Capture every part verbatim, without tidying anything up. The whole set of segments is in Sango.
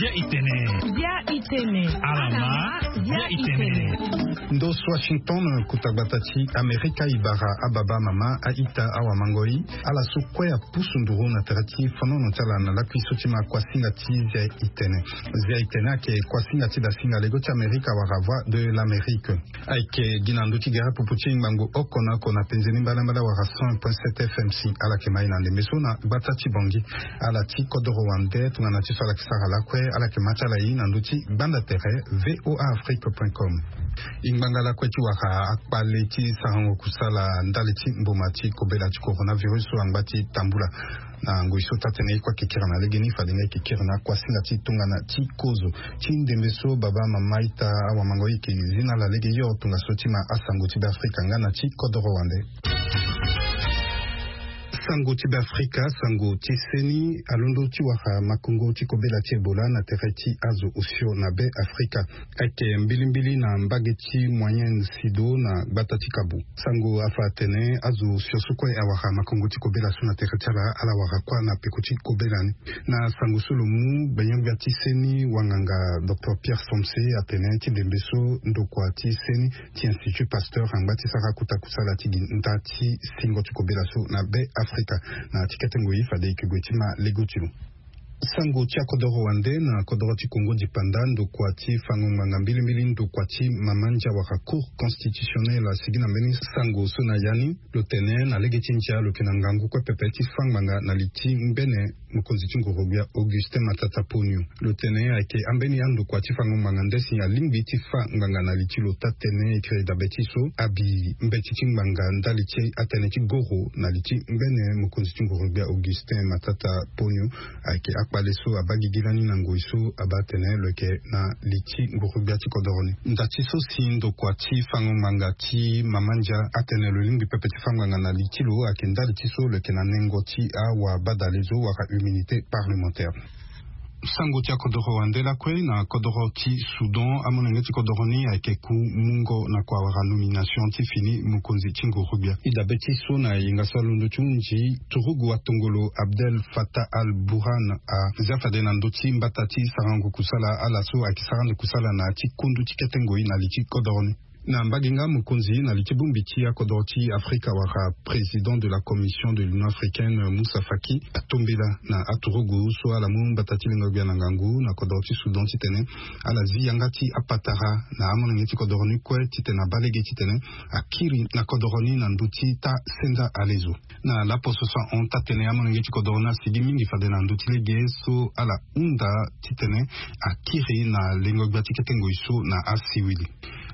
Bia itene. Bia itene. Alama. Bia itene. Ndo so Washington, kota gbata ti Amerika, e bara ababa, amama, a-ita, awamangoi, ala so kue apusu nduru na tere ti fonono ti ala na lakui so ti ma kuasinga ti Zia itene. Zia itene ayeke kuasinga ti dasinga lego ti Amerika wala Voix de l'Amérique. Ayeke gi na ndö ti gere popo ti ngbangbo oko na oko na penze ni mbalambala wala cent point sept F M C. Ala yeke ma e na ndembe so na gbata ti Bangui. Ala ti kodoro wande tongana ti so ala yeke sara lakue, ala yeke ma ti ala e na ndö ti gbanda tere V O A Afrique point com. E ngbanga lakue ti wara akpale ti sarango kusala ndali ti mboma ti kobela ti coronavirus so angba ti tambula. Na ngoi so taa-tënë ye kue ayeke kiri na legeni, fade nga e yeke kiri na kuasinga ti tongana ti kozo. Ti ndembe so, baba, mama, ita, awamangoi, e yeke zi na ala lege yo tongaso ti ma asango ti Beafrika nga na ti kodoro wande. Sango ti Beafrika, sango ti seni alondo ti wara makongo ti kobela ti Ebola na tere ti azo osio na Beafrika. Ayeke mbilimbili na mbage ti Moyenne Sido na gbata ti Kabu. Sango afa atene azo osio so kue awara makongo ti kobela so na tere ti ala, ala wara kua na peko ti kobela ni. Na sango so lo mu gbenyo-gbia ti seni wanganga, docteur Pierre Somse, atene ti ndembe so ndokua ti seni ti Institut Pasteur angba ti sara kota kusala ti gi nda ti singo ti kobela so na Beafrika. Na ti kete ngoi fade e yeke gue ti ma lego ti lo. Sango ti akodoro wande na kodoro ti Kongo dipanda, ndokua ti fango ngbanga mbilimbili, ndokua ti mama ndia wala Cour constitutionnelle, asigi na mbeni sango so na ya ni, lo tene na lege ti ndia lo yeke na ngangu kue pepe ti fâ ngbanga na li ti ngbene mokonzi ti nguru-gbia Augustin Matata Ponyo. Lo tene ayeke ambeni andokua ti fango ngbanga nde si alingbi ti fâ ngbanga na li ti lo taa-tënë, e kiri dabe ti so abi mbeti ti ngbanga ndali ti atënë ti goro na li ti ngbene mokonzi ti nguru-gbia Augustin Matata Ponyo. Ayeke akpale so abaa gigi lani na ngoi so abaa atene lo yeke na li ti nguru-gbia ti kodoro ni. Nda ti so si ndokua ti fango ngbanga ti mama ndia atene lo lingbi pepe ti fâ ngbanga na li ti lo, ayeke ndali ti so lo yeke na nengo ti awabadale zo wala immunité parlementaire. Sango ti akodoro wande lakue na kodoro ti Soudan, amolenge ti kodoro ni ayeke ku mungo na kua wala nomination ti fini mokonzi ti nguru-gbia. E dabe ti so na yenga so alondo ti hunzi turugu atongolo Abdel Fattah al-Burhan azia fade na ndö ti mbata ti sarango kusala ala so ayeke sara ande kusala na ya ti kundu ti kete ngoi na li ti kodoro ni. Na mbage nga mokonzi na li ti bongbi ti akodoro ti Afrika wala président de la Commission de l'Union africaine, Moussa Faki, atombela na aturugu so ala mu mbata ti lengo-gbia na ngangu na kodoro ti Soudan titene ala zi yanga ti apatara na amolenge ti kodoro ni kue titene abaa lege titene akiri na kodoro ni na ndö ti taa-senza alezo. Na laposo so ahon taa-tënë, amolenge ti kodoro ni asigi mingi fade na ndö ti lege so ala hunda titene akiri na lengo-gbia ti kete ngoi so na asiwili.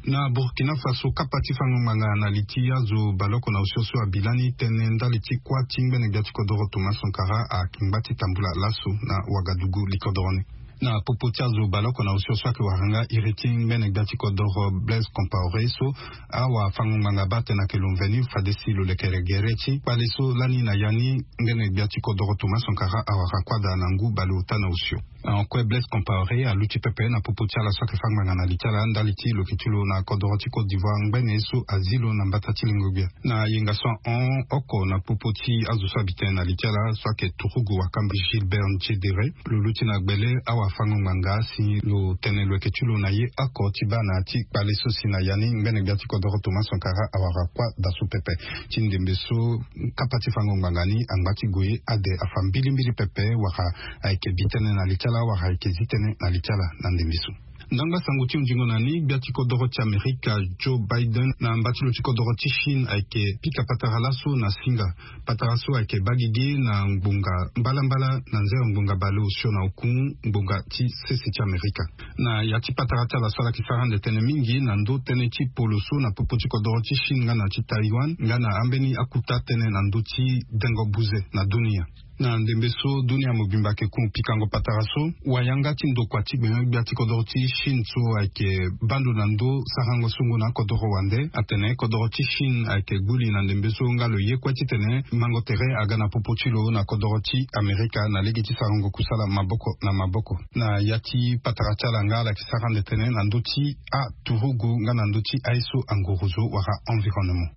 Na Burkina Faso, kapa ti fango ngbanga na li ti azo baleoko na osio so abi lani tënë ndali ti kuâ ti ngbene-gbia ti kodoro Thomas Sankara angba ti tambula laso na Ouagadougou, li kodoro ni. Na popo ti azo baleoko na osio so ayeke wara nga iri ti ngbene-gbia ti kodoro Blaise Compaoré so, awafango-ngbanga abaa atene ayeke lo mveni fade si lo lekere gere ti kpale so lani na ya ni ngbene-gbia ti kodoro Thomas Sankara awara kua daa na ngu baleota na osio. Ahon kue, Blaise Compaoré aluti pepe na popo ti ala so ayeke fâ ngbanga na li ti ala ndali ti lo yeke ti lo na kodoro ti Côte d'Ivoire ngbene so azi lo na mbata ti lengo-gbia. Na yenga so ahon oko na popo ti azo so abi tënë na li ti ala so ayeke turugu Wakamba Gilbert Ndiédéré, lo luti na gbele awafango-ngbanga si lo tene lo yeke ti lo na ye oko ti baa na ya ti kpale so si na ya ni ngbene-gbia ti kodoro Thomas Sankara awara kua daa so pepe. Ti ndembe so kapa ti fango-ngbanga ni angba ti gue ade afa mbilimbili pepe wala ayeke bi tënë na li ti ala wala ayeke zi tënë na li ti ala na ndembe so. Ndangba sango ti hunzingo na ni, gbia ti kodoro ti Amerika Joe Biden na mba ti lo ti kodoro ti Chine ayeke pika patara laso na singa. Patara so ayeke baa gigi na ngbonga mbalambala na nzere ngbonga baleosio na oku ngbonga ti sese ti Amerika. Na ya ti patara ti ala so ala yeke sara ande tënë mingi na ndö tënë ti polo so na popo ti kodoro ti Chine nga na ti Taïwan nga na ambeni akuta tënë na ndö ti dengo buze na dunia. Na ndembe so dunia mobimba ayeke ku pikango patara so, wayanga ti ndokua ti gbenyo-gbia ti kodoro ti Chine so ayeke baa ndo na ndö sarango songo na akodoro wande atene kodoro ti Chine ayeke guli na ndembe so nga lo ye kue titene mango tere aga na popo ti lo na kodoro ti Amerika na lege ti sarango kusala maboko na maboko. Na ya ti patara ti ala nga ala yeke sara ande tënë na ndö ti aturugu nga na ndö ti aye so angorozo wala environnement.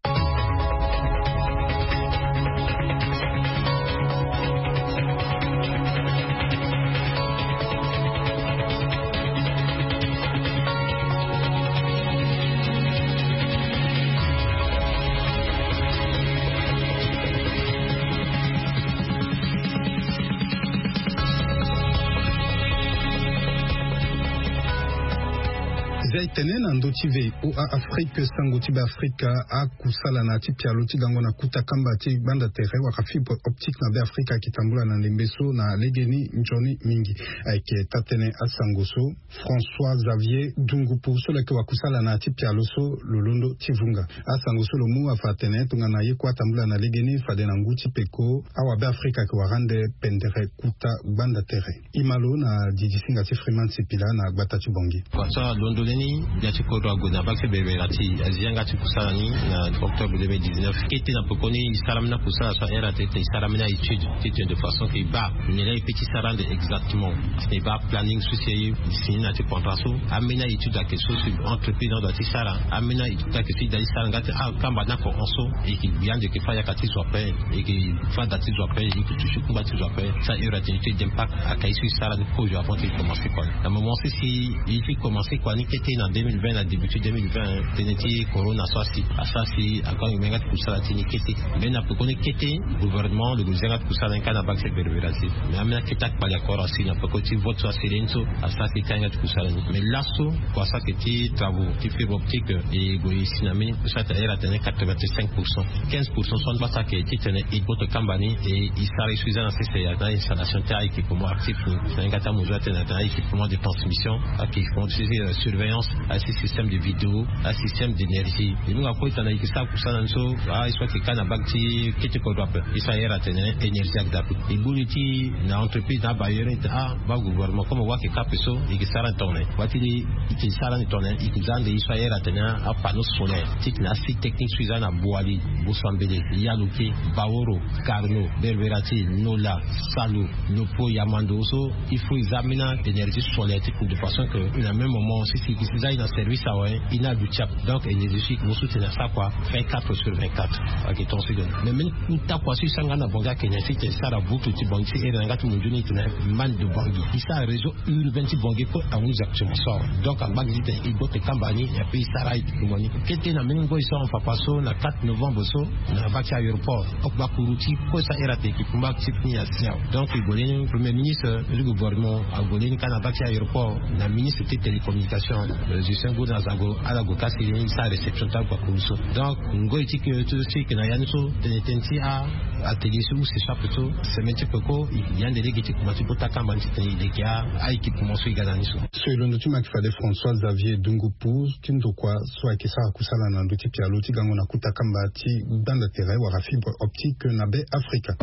Zia etene na ndö ti V O A Afrique, sango ti Beafrika akusala na ya ti pialo ti gango na kuta kamba ti gbanda tere wala fibre optique na Beafrika ayeke tambula na ndembe so na legeni nzoni mingi. Ayeke taa-tënë asango so François Xavier Dungupu so lo yeke wakusala na ya ti pialo so lo londo ti vunga. Asango so lo mu afa atene tongana ye kue atambula na legeni fade na ngu ti peko, awabe Afrika ayeke wara ande pendere kuta gbanda tere. E ma lo na didisinga ti Freeman Sipila na gbata ti Bangui. Kua so alondo lani, gbia ti kodro ague na bak ti berbera ti azi yanga ti kusala ni na octobre deux mille dix-neuf. Kete na pekoni e sara ambeni akusala so ahere atene e sara ambeni aétude titene de façon ke e baa nyen laa e peut ti sara ande exactement. Titene e baa planning so si e signé na ya ti contrat so. Ambeni aétude ayeke so si entreprise ni adoit ti sara. Ambeni aétude ayeke so e doit ti sara nga ti akamba ni ako hon so. E yeke gbi ande e yeke fâ yaka ti zo ape. E yeke fâ da ti zo ape. E yeke touché kungba ti zo ape. Sa heure atene étude d'impact ayeke ye so e sara ni kozo avant ti e commencé kua ni. Na moment so si e ti commencé kua ni kete na deux mille vingt, na début ti deux mille vingt, tënë ti corona so asi asara si ague angbene yanga ti kusala ti ni kete. Mais na pekoni kete, gouvernement lo gue zi yanga ti kusala ni kâ na bak ti berbera ti. Mais ambeni akete akpali akora si na peko ti vote so asele ni so asara si e kâ yanga ti kusala ni. Mais laso kua so ayeke ti travaux ti fibre optique, e gue e si na mbeni so ahere atene quatre-vingt-cinq pour cent. Quinze pour cent so ande basa ayeke titene e gboto kamba ni e e sara ye so e za na sese ya na installation ti a-équipement actif ni. Na yanga ti amozo atene atene a-équipement de transmission, a-équipement ti surveillance, asi système de vidéo, asystème d'énergie. E mu nga kue titene e yeke sara kusala ni so, a ye so ayeke kâ na bak ti kete kodro ape. E so ahere atene énergie ayeke daa ape. E boni ti na entreprise na abailleur ni titene a baa gouvernement comme wa ayeke kâ ape so e yeke sara ni tongana nyen. Wa ti ni e yeke sara ni tongana nyen, e yeke za ande ye so ahere atene apanneau solaire titene asite technique so e za na Boali, Bosambele, Yaloke, Baoro, Carno, Berberatil, Nola, Salo, Lopo, Yamando so il faut e za ambeni énergie solaire ti kuru de façon que na même moment si si e yeke si e za e na service awe e na aduti ape. Donc énergie so e yeke mu so titene asara kua vingt-quatre sur vingt-quatre. Ayeke tonga so e donne mais mbeni kuta kua so e sara nga na Bangui ayeke nyen si titene e sara voutre ti Bangui si here na yanga ti mundu ni titene manne de Bangui e sara réseau urbain ti Bangui kue ahunzi actuellement so awe. Donc angba gi titene e gboto kamba ni et puis e sara équipement ni. Kete na mbeni ngoi so ahon papa so na quatre novembre so na bak ti aéroport. Oko baa kuru ti kue so ahere atene équipement ti fini asi awe. Donc e gue leni premier ministre du gouvernement ague leni kâ na bak ti aéroport na ministre ti télécommunication, Justin Goudin Azango, ala gue kâ si leni e sara réception ti akua kuru so. Donc ngoi ti ke so si e yeke na ya ni so tene tënë ti a atelier so use so ape so semaine ti peko e yeke gi ande lege ti kuma ti gboto akamba ni titene e leke a-équipement so e ga na ni so. So e londo ti ma ayeke fade François Xavier Dungupu ti ndokua so ayeke sara kusala na ndö ti pialo ti gango na kuta kamba ti gbanda tere wala fibre optique na Be Afrika.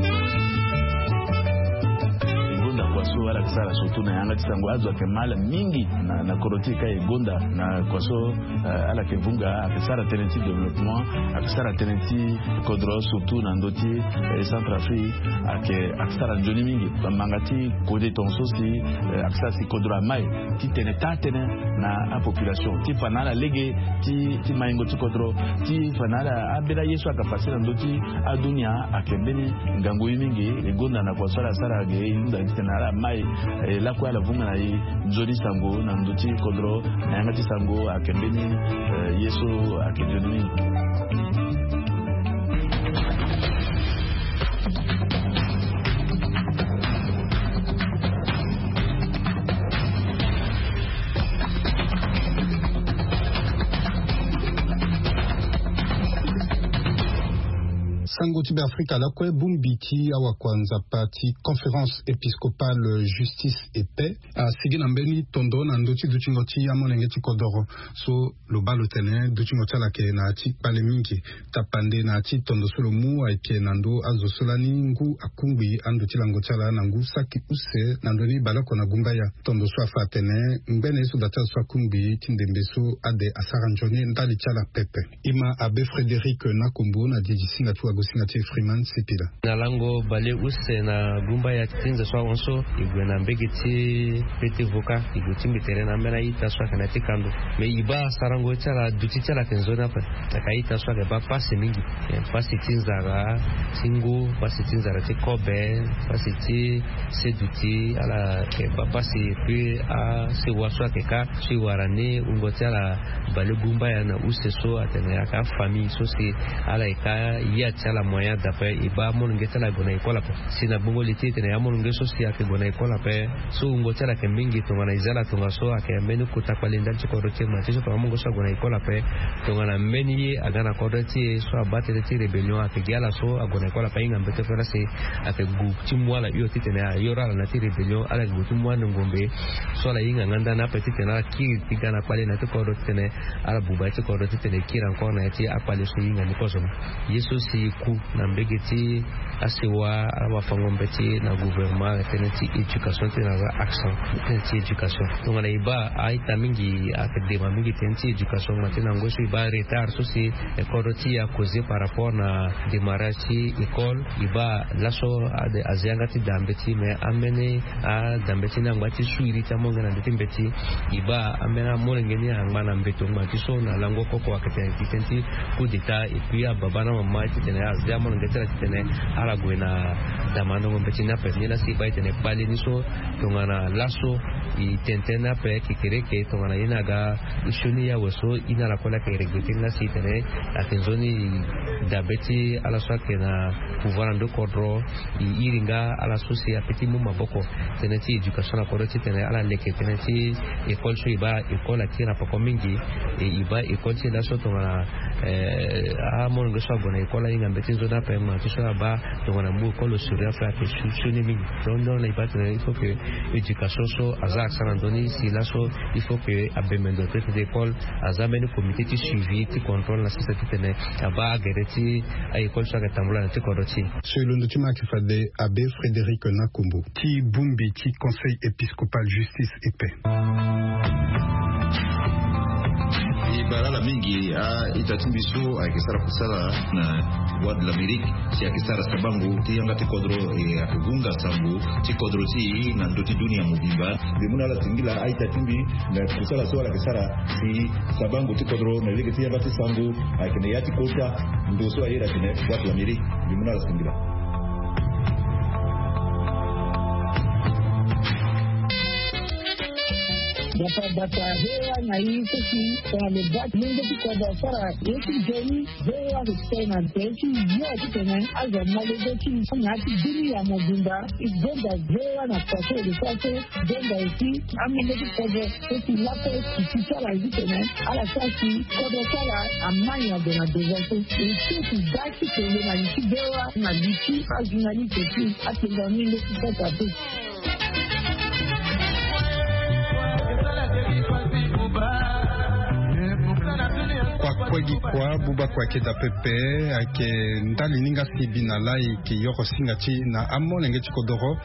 E gonda kua so ala yeke sara surtout na yanga ti sango azo ayeke mal mingi na, na kodro ti e kâ e gonda na kua so, eh, ala yeke vunga ayeke sara tënë ti développement, ayeke sara tënë ti kodro surtout na ndö ti, eh, Centrafrique, ayeke, ayeke sara nzoni mingi. Bamanga ti kode tonga so si, eh, ayeke sara si kodro amai ti tene taa-tënë na apopulation ti fa na ala lege ti, ti maingo ti kodro, ti fa na ala ambeni aye so ayeke pase na ndö ti adunia ayeke mbeni ngangu ye mingi. E gonda na kua so ala sara ge e hunda titene ala mai, eh, lakue ala vunga na e nzoni sango na ndö ti kodro na yanga ti sango ayeke mbeni, eh, ye so ayeke nzoni mingi. Sango ti Beafrika lakue, bongbi ti awakua nzapa ti Conférence Épiscopale Justice et Paix asigi na mbeni tondo na ndö ti dutingo ti amolenge ti kodoro. So lo baa lo tene dutingo ti ala ayeke na ya ti kpale mingi. Tapande na ya ti tondo so lo mu ayeke na ndö azo so lani ngu akungbi ando ti lango ti ala na ngu saki use na ndö ni baleoko na gumbaya. Tondo so afa atene ngbene ye so da ti azo so akungbi ti ndembe so ade asara nzoni ndali ti ala pepe. E ma Abbé Frédéric Nakombo na didisinga ti wagosinga ti Freeman Sipila. Na lango baleuse na gumbaya ti nze so ahon so e gue na mbege ti pete voka e gue tingbi tere na ambeni a-ita so ayeke na ya ti kando. Me e baa sarango ti ala duti ti ala ayeke nzoni ape. Ayeke a-ita so ayeke baa pasi mingi. Eh, pasi ti nzara ti ngu, pasi ti nzara ti kobe, pasi ti se duti ala yeke baa pasi. Puis asewa so ayeke kâ so e wara ni wungo ti ala balegumbaya na use so atene ayeke afamille so si ala yeke kâ ya ti ala. Ala moyen d'appel e baa amolenge ti ala ague na école ape. Si na gbongo li ti e tene amolenge so si ayeke gue na école ape, so wungo ti ala ayeke mingi tongana e za ala tongaso ayeke mbeni kota kpale ndali ti kodro ti e ma ti so tongana amolenge so ague na école ape, tongana mbeni ye aga na kodro ti e so abaa tënë ti rébellion ayeke gi ala so ague na école ape ahinga mbete fo lasi ayeke gu ti mu ala hio titene ayoro ala na ya ti rébellion ala yeke gue ti mu ande ngombe. So ala hinga nga ndani ape titene ala kiri ti ga na kpale na ya ti kodro titene ala buba ya ti kodro titene e kiri encore na ya ti akpale so e hinga ni kozo. Ye so si e ku na mbege ti asewa ala wafango mbeti na gouvernement tënë ti éducation titene aza accent tënë ti éducation. Tongana e baa a-ita mingi ayeke dema mingi tënë ti éducation ma tënë na ngoi so e baa retard so si kodro ti e akoze par rapport na démarrage ti école. E baa laso ade aza yanga ti daa mbeti mais ambeni adabe ti ni angba ti suiri ti amolenge na ndö ti mbeti. E baa ambeni amolenge ni angba na mbeto ngba ti so na lango koko ayeke tene ti tënë ti coup d'état et puis ababa na mama titene aza amolenge ti ala titene ala gue na damandango mbeti ni ape. Ni lasi e baa e tene kpale ni so tongana laso e tene tënë ni ape kekereke tongana ye ni aga sioni awe so e na ala kue laa ayeke regretter ni lasi e tene ayeke nzoni dabe ti ala so ayeke na pouvoir na ndö kodro. E iri nga ala so si ape ti mu maboko tënë ti éducation na kodro titene ala leke tënë ti école so e baa école akiri na poko mingi. E e baa école ti e laso tongana amolenge so ague na école ahinga mbeti nzoni ape ma ti so abaa tongana mu école au sérieux ape ayeke sioni mingi. Donc donc na e baa tene il faut que éducation so aza accent na ndö ni si laso il faut que abembe ndo tënë ti école aza mbeni comité ti suivi ti contrôle na sese titene abaa agere ti a-école so ayeke tambula na ti kodro ti e. So e londo ti ma ayeke fade abe Frédéric Nakombo ti bongbi ti conseil épiscopal justice et paix. E bara ala mingi a-ita ti mbi so ayeke sara kusala na Voix de l'Amérique si ayeke sara sabango ti yanga ti kodro e ayeke hunga sango ti kodro ti e na ndö ti dunia mobimba. Mbi mu na ala singila a-ita ti mbi na kusala so ala yeke sara si sabango ti kodro na lege ti yanga ti sango ayeke na ya ti kota ndo so aye na tene Voix de l'Amérique. Mbi mu na ala singila. Bata bata hewa na i seki tongana lo bata mungo ti kodro asara ye ti joni. Hewa respect na tene ti yo titene azo malego ti na ya ti dunia mobimba. E gonda hewa na kua so e lo sara so. Gonda aussi amolenge ti kodro so si lakue ti ti ti ala ye titene ala sara si kodro ti ala amai na gue na devant so. E so si da ti kele na li ti hewa na li ti ajournaliste ti atenga mingo ti sasa te. Kua kue gi kua buba kua ayeke daa pepe. Ayeke ndali ni nga si e bi na laa e yeke yoro singa ti e na amolenge ti kodoro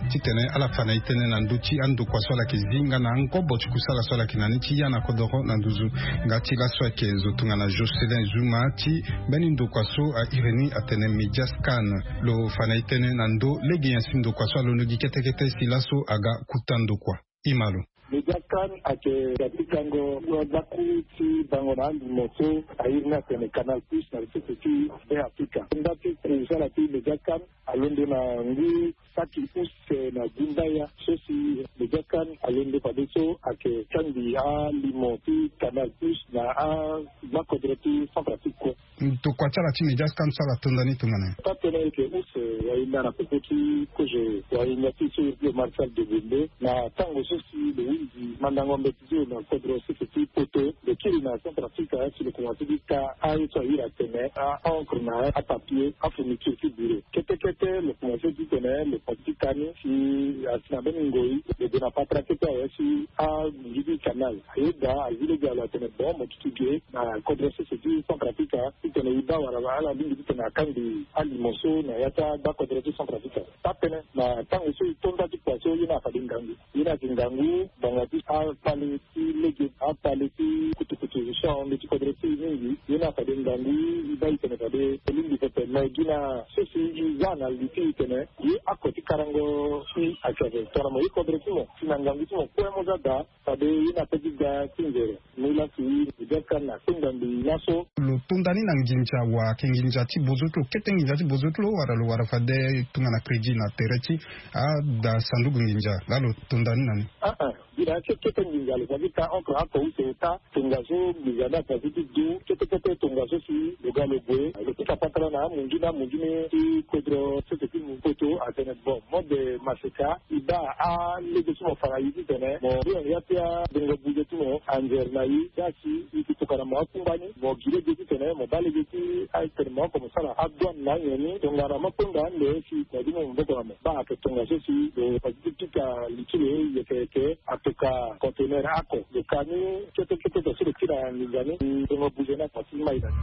titene ala fa na e tënë na ndö ti andokua so ala yeke zi nga na angobo ti kusala so ala yeke na ni ti ya na kodoro na nduzu. Nga ti laso ayeke zo tongana Jocelyn Zuma ti mbeni ndokua so a iri ni atene Mediascan. Lo fa na e tënë na ndö lege nyen si ndokua so alondo gi kete kete si laso aga kuta ndokua. Ima lo. Mediascan ayeke ga ti gango gbakuru ti bango na alimo so a iri ni atene Canal Plus na sese ti Be Afrika. Nda ti kusala ti Mediascan alondo na ngu saki use na gumbaya so si Mediascan alondo fade so ayeke kangbi alimo ti Canal Plus na agbakodro ti Centrafrique kue. Ndokua ti ala ti Mediascan so ala tonda ni tongana nyen? Taa tënë ayeke use wahinda na popo ti kozo wahinda ti so iri ti lo Marcel Degonde na tango so si lo hunzi mandango mbeti ti lo na kodro sese ti poto. Lo kiri na Centrafrique si lo komanse ti ka aye so a iri atene a-encre na apapier afourniture ti bureau. Kete kete lo komanse ti tene lo komanse ti ka ni si asi na mbeni ngoi lo gue na patara kete awe si agundi ti canal. Ayeda azi lege alo atene bon mo duti ge na kodro sese ti Centrafrique titene e baa wala ala lingbi titene akangbi alimo so na ya ti agbakodro ti Centrafrique. Taa tënë na tango so e to nda ti kua so ye ni afade ngangu. Ye ni ayeke ngangu ngbanga ti akpale ti lege akpale ti kutukutu so ahon ndö ti kodro ti e mingi. Ye ni afade ngangu e baa e tene fade e lingbi pepe me gi na so si e za na li ti e tene ye ako ti karango si ayeke ape tongana mo ye kodro ti mo si na ngangu ti mo kue mo za daa. Fade ye ni ape ti ga ti nzere. Ni lasi Mediascan akpengba mbi laso. Lo tonda ni na nginza wa ayeke nginza ti bozo ti lo kete nginza ti bozo ti lo wala lo wara fade tongana crédit na tere ti ada sanduku nginza laa lo tonda ni na ni. Aa Ira kete nginza lo fa ti ta okra oko use ota tongaso nginza ni afa ti ti du kete kete tongaso si lo ga lo gue lo ti fa patara na amungi na amungi ni ti kodro sese ti mu poto atene bon mode maseka i baa alege ti mo fa na i titene mo ri ya ti abongo buze ti mo anzere na i. Dasi i ti tokana mo akungba ni mo gi lege titene mo baa lege ti atene mo oko mo sara adouane na anyen ni tongana mo kpengba ande si na di mo maboko na mo baa ake tongaso si lo fa ti ti pika li ti lo yeke yeke atoka conteneur ako. Lo ka ni kete kete to so lo ti na nginza ni tongo buze ni ako ti mai na ni.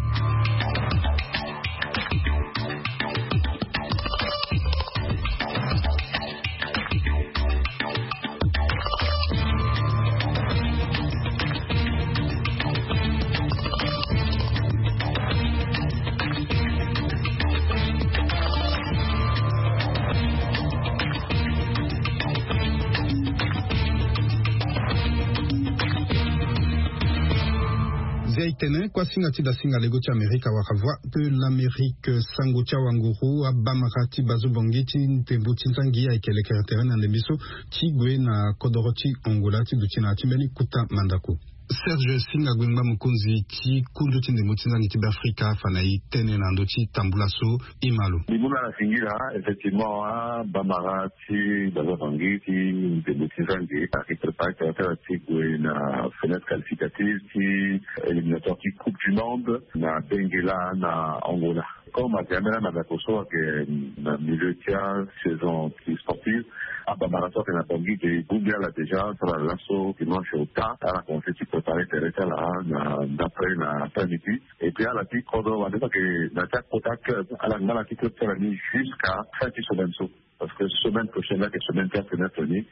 Zia e tene kuâ singa ti da singa lego ti amerika wala voix de l'amérique sango ti awanguru abamara ti bazo bongi ti ndembo ti nzangi ayeke lekere tere na ndembe so ti gue na kodoro ti angola ti duti na ya ti mbeni kuta mandako. Serge singa guengba mokonzi ti kundu ti ndembo ti nzangi ti beafrika afa na e tene na ndö ti tambula so. E ma lo. Mbi mu na ala singila effectivement abamara ti baza bangi ti ndembo ti nzangi ayeke prépare tere ti ala ti gue na fenêtre qualificative ti éliminatoire ti coupe du monde na bengela na angola. Comme ayeke ambeni amandako so ayeke na milieu ti asaison ti sportive abamara so ayeke na bangi ge e bongbi ala déjà sara laso dimanche ota ala commence ti prépare tere ti ala na ndapre na après midi. Et puis ala ti kodro wande so ayeke na ti akota club ala ngba na ti club ti ala ni jusqu'à fin ti semaine so. Parce que semaine prochaine ayeke semaine ti afenêtre ni.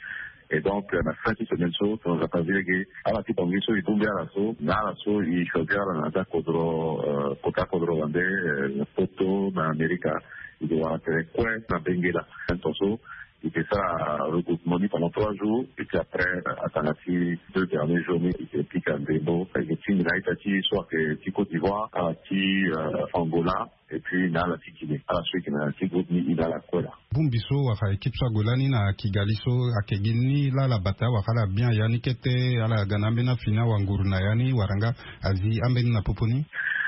Et donc na fin ti semaine so tongana nzapa zi lege ala ti bangi so e bongbi ala so na ala so e choisir ala na ti akodro kota akodro wande na poto na amerika. E ke wara tere kue na bengela. Ton so e ke sara regroupement ni pendant trois jours et puis après atanga ti deux derniers jours ni e ke pika ndembo e ke tingbi na ita ti so ayeke ti côte d'ivoire ala ti angola. Et puis na ala ti guinée ala so e ke na ti groupe ni e na ala kue laa. Bongbi so wala équipe so ague lani na kigali so ayeke gi ni laa ala bata wala ala bien ya ni kete ala ga na ambeni afini awanguru na ya ni wala nga azi ambeni na popo ni.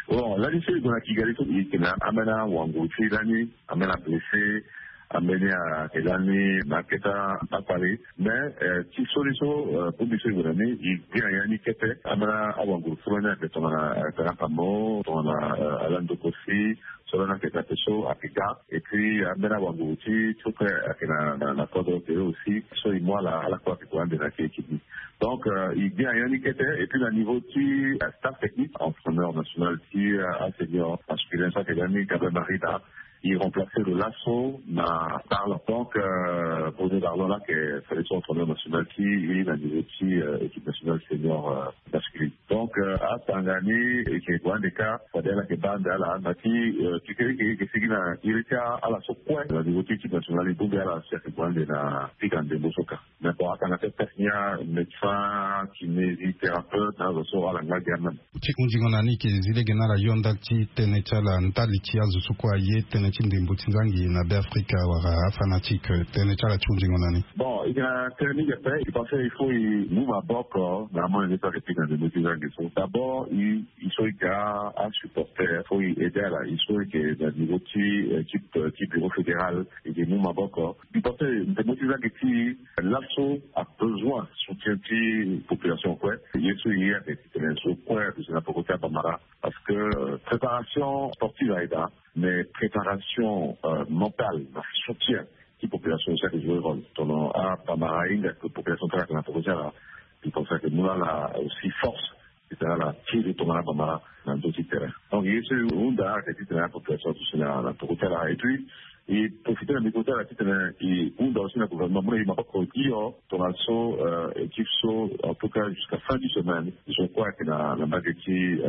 Bon lani so e gue na kigali so e ke na ambeni awanguru ti lani ambeni ablessé. Ambeni ayeke lani na akete akpale mais ti soli so bongbi so e gue na ni e gbia ya ni kete ambeni awanguru so lani ayeke tongana tanaka mo tongana ala ndoko si so lani ayeke tate so ayeke ga. Et puis ambeni awanguru ti so kue ayeke na kodro tere aussi so e mu ala ala kue ayeke gue ande na ti équipe ni. Donc e gbia ya ni kete et puis na niveau ti staff technique entraîneur national ti asenior masculin so ayeke ga ni gabriel marida. E remplacer lo laso na darlon donc bruno darlon lake sélection entraîneur national ti e na niveau ti équipe nationale senior masculine. Donc atanga ni e ke gue ande kâ fade ala yeke baa ande ala na ti kekereke e ke sigi na iri ti ala so kue na niveau ti équipe nationale e bongbi ala si ayeke gue ande na pika ndembo so kâ. Mais bon atanga ti atest ni amédecin kinésithérapeute na azo so ala ngba gi amême. Ti hunzingo na ni e ke zi lege na ala yonda ti tënë ti ala ndali ti azo so kue aye tënë ti ndembo ti nzangi na beafrika wala afanatike tënë ti ala ti hunzingo na ni. Bon e ke na tënë mingi ape e pense il faut e mu maboko na amolenge so ayeke pika ndembo ti nzangi so d'abord e so e ke asupporter faut e aide ala e so e ke na niveau ti équipe ti bureau fédéral e ke mu maboko. Mbi pense ndembo ti nzangi ti laso abesoin soutien ti population kue. Ye so e ye ayeke titene so kue aduti na poko ti abamara parce que préparation sportive aye daa mais préparation mentale na soutien ti population aussi ayeke jouer rôle. Tono abamara ahinga ke population ti ala ayeke na poko ti ala. Mbi pense ayeke mu na ala aussi force. Titene ala tiri tongana abamara na ndö ti terrain. Donc ye so e hunda ayeke titene apopulation aduti na poko ti ala et puis e profiter na micro ti ala titene e hunda aussi na gouvernement mu na e maboko hio tongana so équipe so en tout cas jusqu'à fin du semaine. Zo kue ayeke na mbage ti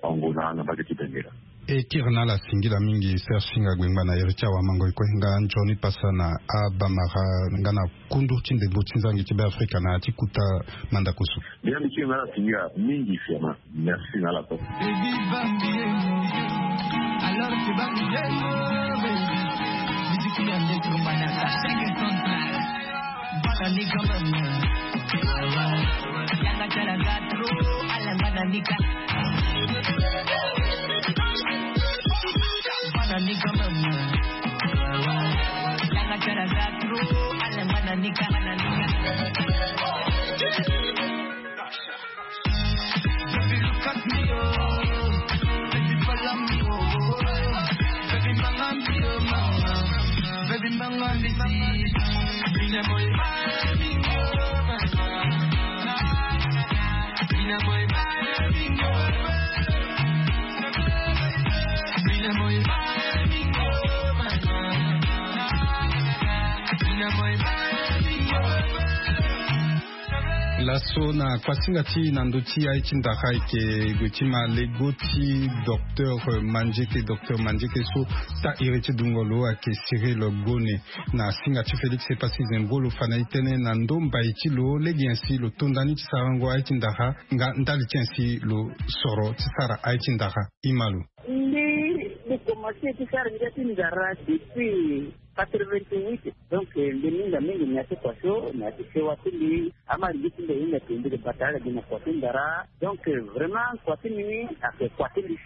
angola na mbage ti bengela. E kiri na ala singila mingi serge singa gbengba na iri ti awamango e kue nga nzoni pasa na abamara nga na kundu ti ndembo ti nzangi ti beafrika na ya ti kuta mandakusu. Mbi ya mbi kiri na ala singila mingi fiama. Merci na ala kue. Alors tu vas me dire. Musique ya ndeko manaka. Bana ni quand même. Laso na kuasinga ti na ndö ti aye ti ndara ayeke gue ti ma lego ti docteur Mandieke, docteur Mandieke so ta iri ti dungo lo ayeke Cyril Gone. Na singa ti Félix Epassi Zembro lo fa na e tënë na ndö mbai ti lo lege nyen si lo tonda ni ti sarango aye ti ndara nga ndali ti nyen si lo soro ti sara aye ti ndara. Ima lo. Mbi, mbi komanse ti sara ngia ti ndara depuis quatre-vingt-huit. Donc mbi minga mingi na ya ti kua so na ya ti sewa ti mbi. Ama lege ti mbi ahinga ke mbi ke bata ala gi na kua ti ndara. Donc vraiment kua ti mbi ni ayeke kua ti mbi.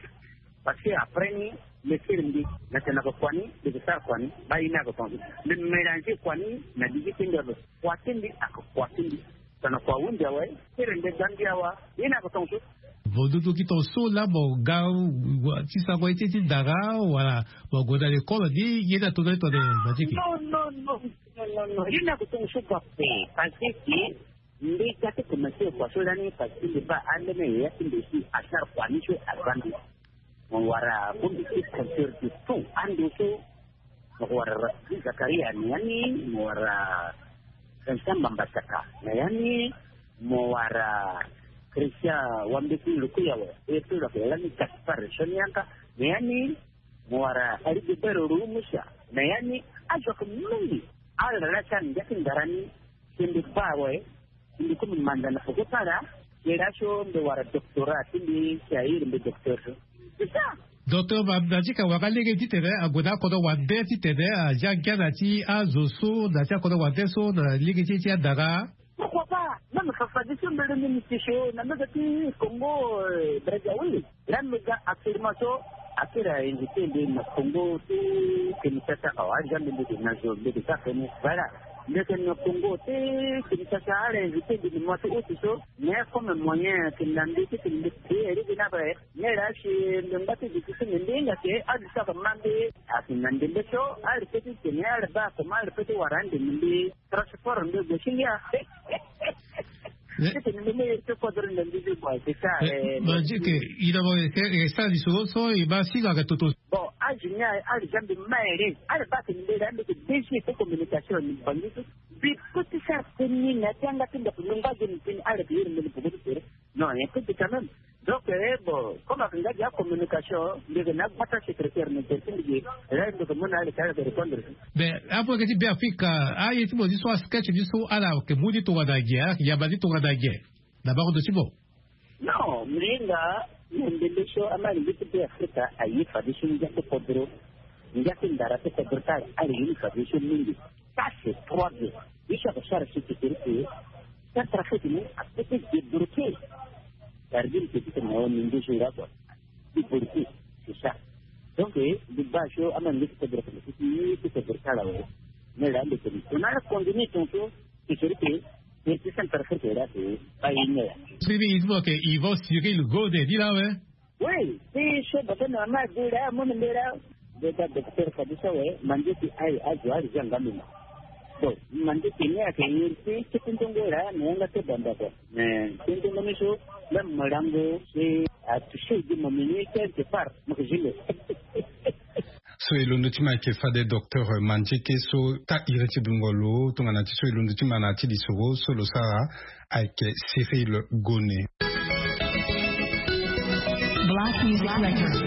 Parce que après ni, mbi siri mbi na tene na kua ni, mbi ke sara kua ni, baa ye ni ayeke tongaso. Mbi mélanger kua ni na lege ti mbi ape. Kua ti mbi ayeke kua ti mbi. Tongana kua ahunzi awe, siri mbi ga mbi awa, ye ni ayeke tongaso. Vo dudu gi tongaso laa mo ga ti sarango ye ti e ti ndara wala mo gue na lekole ni, ye ni atonda ni tongana Mandieke? Non, non, non, non, non, non. Ye ni ayeke tongaso kua ape. Parce que mbi ga ti komanse kua so lani parce que mbi baa alene yaya ti mbi si asara kua ni so aza mbi. Mo wara bongbi ti compteur de tout ando so. Mo ko wara Rafiki Zakaria na ya ni, mo wara Vincent Mbambasaka na ya ni, mo wara Christian Wambeti Lukuyawa, e so lo yeke lani Gaspard Sonianka na ya ni, mo wara Rigobert Rumusa na ya ni. Azo ayeke mingi. Ala laa ti ala na ngia ti ndara ni. Si mbi baa awe, mbi kue mbi manda na peko ti ala. Ye laso mbi wara doctorat ti mbi, si a iri mbi docteur so. C'est ça. Docteur Mandieke awara lege titene ague na akodro wande titene azia ngia na ti azo so na ti akodro wande so na lege ti e ti andara. Pourquoi pas? Même fafadeso mbele ni mbi ti so na mega ti Congo, euh, Brazzaville. Laa mbi ga actuellement so akiri a invité mbi na Congo ti Kinshasa awa, aza mbi mbi ke na zo mbi ke sara feni. Voilà. Mbi ke na Congo ti Kinshasa, ala invité mbi na mois ti août so. Mais comme moyen ayeke na mbi titene mbi payer lege ni ape. Mais laa si mbi ngba ti duti ti mbi, mbi hinga ke azo so ayeke ma mbi ayeke na ndembe so, ala peut ti tene ala baa comment ala peut ti wara ande na mbi. Transport nde gue ti ngia. Titene mbi me iri ti kodro na mbi ti bua, c'est ça. Mandieke, ina mo yeke sara lisoro so e ma singa ayeke toto. Bon, azo ni ala za mbi ma iri. Ala baa tene mbi laa mbi yeke D G ti communication na Bangui so. Mbi peut ti sara tënë ni na ya ti yanga ti ndako, mbi ngba gi na tënë, ala yeke iri mbi na peko ti tere. Non, un peu quand même. Donc, eh, bon, comme ayeke nga gi acommunication, mbi yeke na agbata secrétaire na tere ti mbi ge, là mbi yeke mu na ala ti ala yeke répondre. Mais apo yeke ti Beafrika, aye ti mo ni so, asketch ni so, ala yeke mu ni tongana nyen, ala yeke yamba ni tongana nyen na bango ndo ti mo? Non, mbi hinga na ndembe so amalenge ti Beafrika aye fadeso ngia ti kodro, ngia ti ndara ti kodro ti ala, ala ye ni fadeso mingi. Ça c'est trois bien. Ye so ayeke sara si ti tere ti Centrafrique ni apeut ti débloquer. Cest à dire que ti tene na ni ndoso ira kua. Débloquer, c'est ça. Donc mbi baa so amalenge ti kodro ti, ti kodro ti ala awe. Mais là mbi tene tongana ala continuer tongaso, ti tere ti, ti Centrafrique là, c'est pas une heure. Siri, il faut que Yvan Cyril Gode ni laa awe. Oui, ti so bata na ma de laa, mo na mbi laa. Mbi baa docteur fadeso awe, Mandieke aye azo ala zia nga mbi ma. Bon, Mandieke ni ayeke iri ti kete ndongo laa na yanga ti banda kua. Mais kete ndongo ni so, même mo lango si atoucher gi mo, mbi ni quelque part mo yeke zi mbi. So e londo ti ma ayeke fade docteur Mandieke so ta iri ti dungo lo tongana ti so e londo ti ma na ya ti lisoro so lo sara ayeke Cyril Gone. Black Music Records.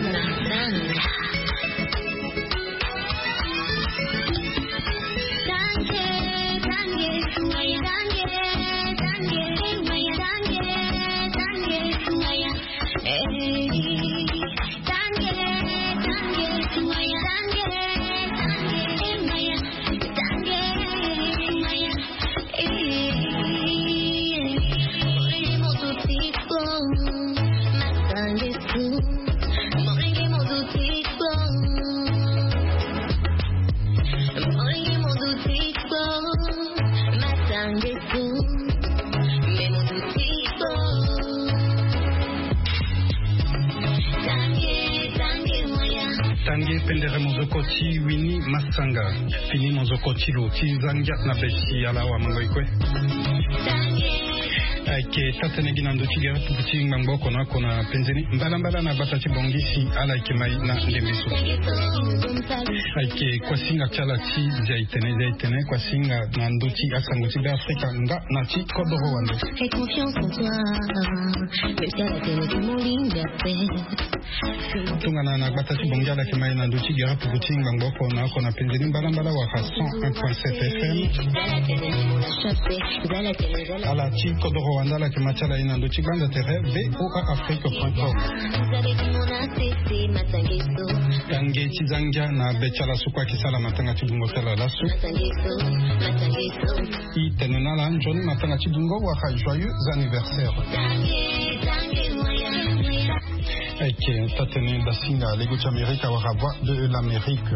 Tange pendere monzoko ti Winnie Massanga. Fini monzoko ti lo ti za ngia na beti ala awa, mango e kue. Ayeke Eke taa-tënë gi na ndö ti gere pupu ti ngbangbo oko na oko na penze ni mbalambala na gbata ti Bangui si ala yeke mai na ndembe so. Ayeke kuasinga ti ala ti zia itene, zia itene kuasinga na ndö ti asango ti Be Afrika nga na ti kodoro wande. Tongana na gbata ti Bangui ala yeke mai na ndö ti gere pupu ti ngbangbo oko na oko na penze ni mbalambala wala cent un point sept F M. Ala ti kodoro wande ala yeke ma ti ala ye na ndö ti gbanda tere V O A Afrique point com. Tange ti zangia na be ti ala so kue ayeke sala matanga ti bungo ti ala laso. I tene na ala nzoni matanga ti bungo wala joyeux anniversaire. Ayeke taa-tënë dasinga lego ti Amerika wala Voix de l'Amérique.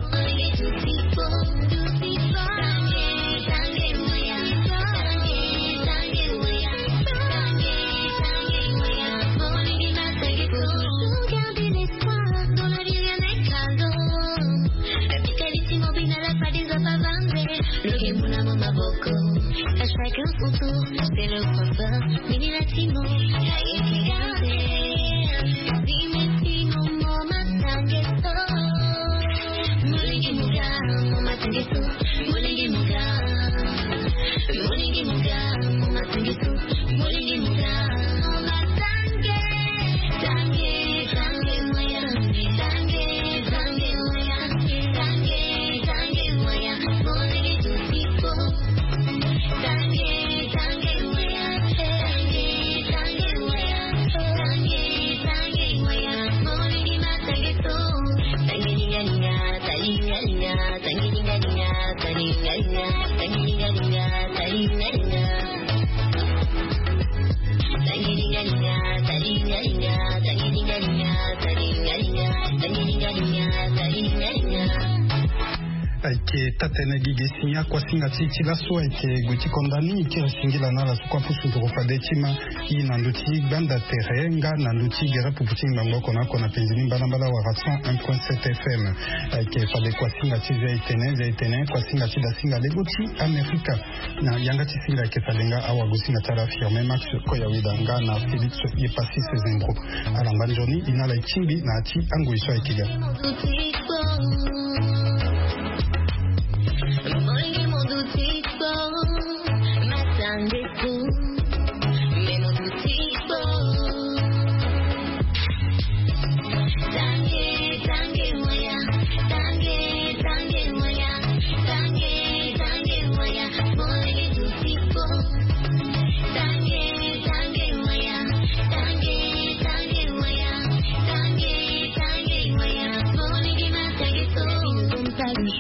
Ayeke taa-tënë gi ge si ni akuasinga ti e ti laso ayeke gue ti konda ni kiri singila na ala so kue apusu nduru fade ti ma i na ndö ti gbanda tere nga na ndö ti gere pupu ti ngbangbo oko na oko na penze ni mbalambala wala cent un point sept F M. Ayeke fade kuasinga ti zia itene, zia itene kuasinga ti dasinga lego ti Amerika. Na yanga ti singa ayeke fade nga awagosinga ti ala Firmin Max Koyaweda nga na Félix Yepassis Zembro. Ala ngba nzoni i na ala e tingbi na ya ti angoi so ayeke ga.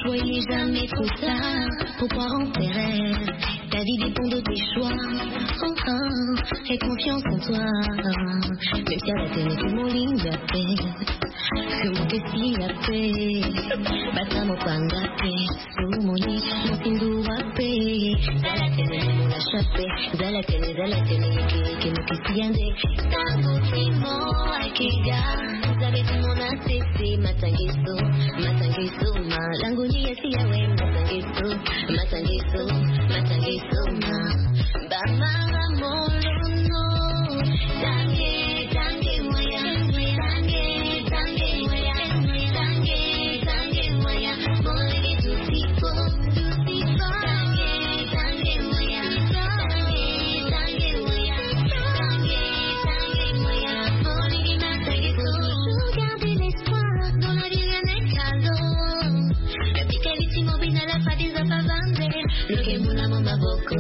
Choix, il est jamais trop tard pour croire en tes rêves. Ta vie dépend de tes choix. Oh, oh, aie confiance en toi. Même si à la télé, tout le monde l'a fait. Comme que si la paix. Bata mopanga pe. Sumoni, mosindu wa pe. Zala tene, mola chape. Zala tene, zala tene, yeke, yeke, mokisi yande. Tango timo, akega. Zabe timo na sese, matangiso. Matangiso, malango ni ya si ya we, matangiso. Matangiso, matangiso, ma. Bamara molono. Tange, tange, moya. Tange, tange, moya. Tange, tange, moya. Molenge tusipo, tusipo. Tange, tange, moya. Tange, tange, moya. Tange, tange, moya. Molenge matangiso. Toujours garder l'espoir dans la vie, rien n'est cadeau. La petite vie, tu m'oublies, n'a pas des affaires. Loke muna mo maboko.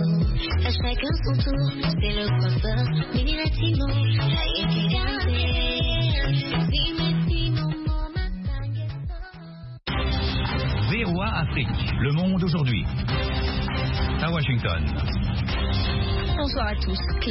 À chacun son tour, c'est le coiffeur. Mini latino, aye kigande. Dime si mon mot m'a tangué. V O A Afrique, le monde aujourd'hui. À Washington. Bonsoir à tous. Claire.